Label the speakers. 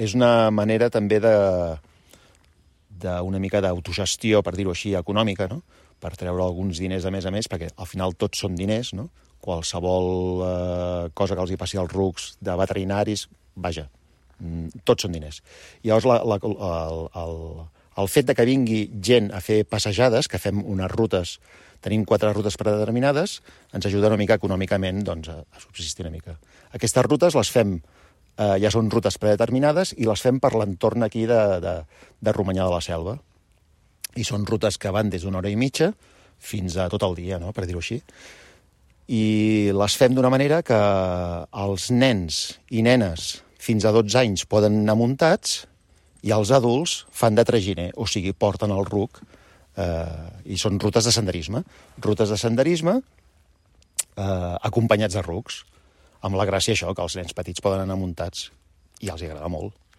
Speaker 1: és una manera també d'una mica d'autogestió, per dir-ho així, econòmica, no? Per treure alguns diners a més, perquè al final tots són diners, no? Qualsevol cosa que els hi passi als rucs de veterinaris, vaja, tots són diners. I llavors el fet de que vingui gent a fer passejades, que fem unes rutes, tenim 4 rutes predeterminades, ens ajuda una mica econòmicament doncs, a subsistir una mica. Aquestes rutes les fem, ja són rutes predeterminades, i les fem per l'entorn aquí de Romanyà de la Selva. I són rutes que van des d'una hora i mitja fins a tot el dia, no? Per dir-ho així. I les fem d'una manera que els nens i nenes fins a 12 anys poden anar muntats i els adults fan de traginer, o sigui, porten el ruc, i són rutes de senderisme. Rutes de senderisme acompanyats de rucs, amb la gràcia això, que els nens petits poden anar muntats, i els agrada molt.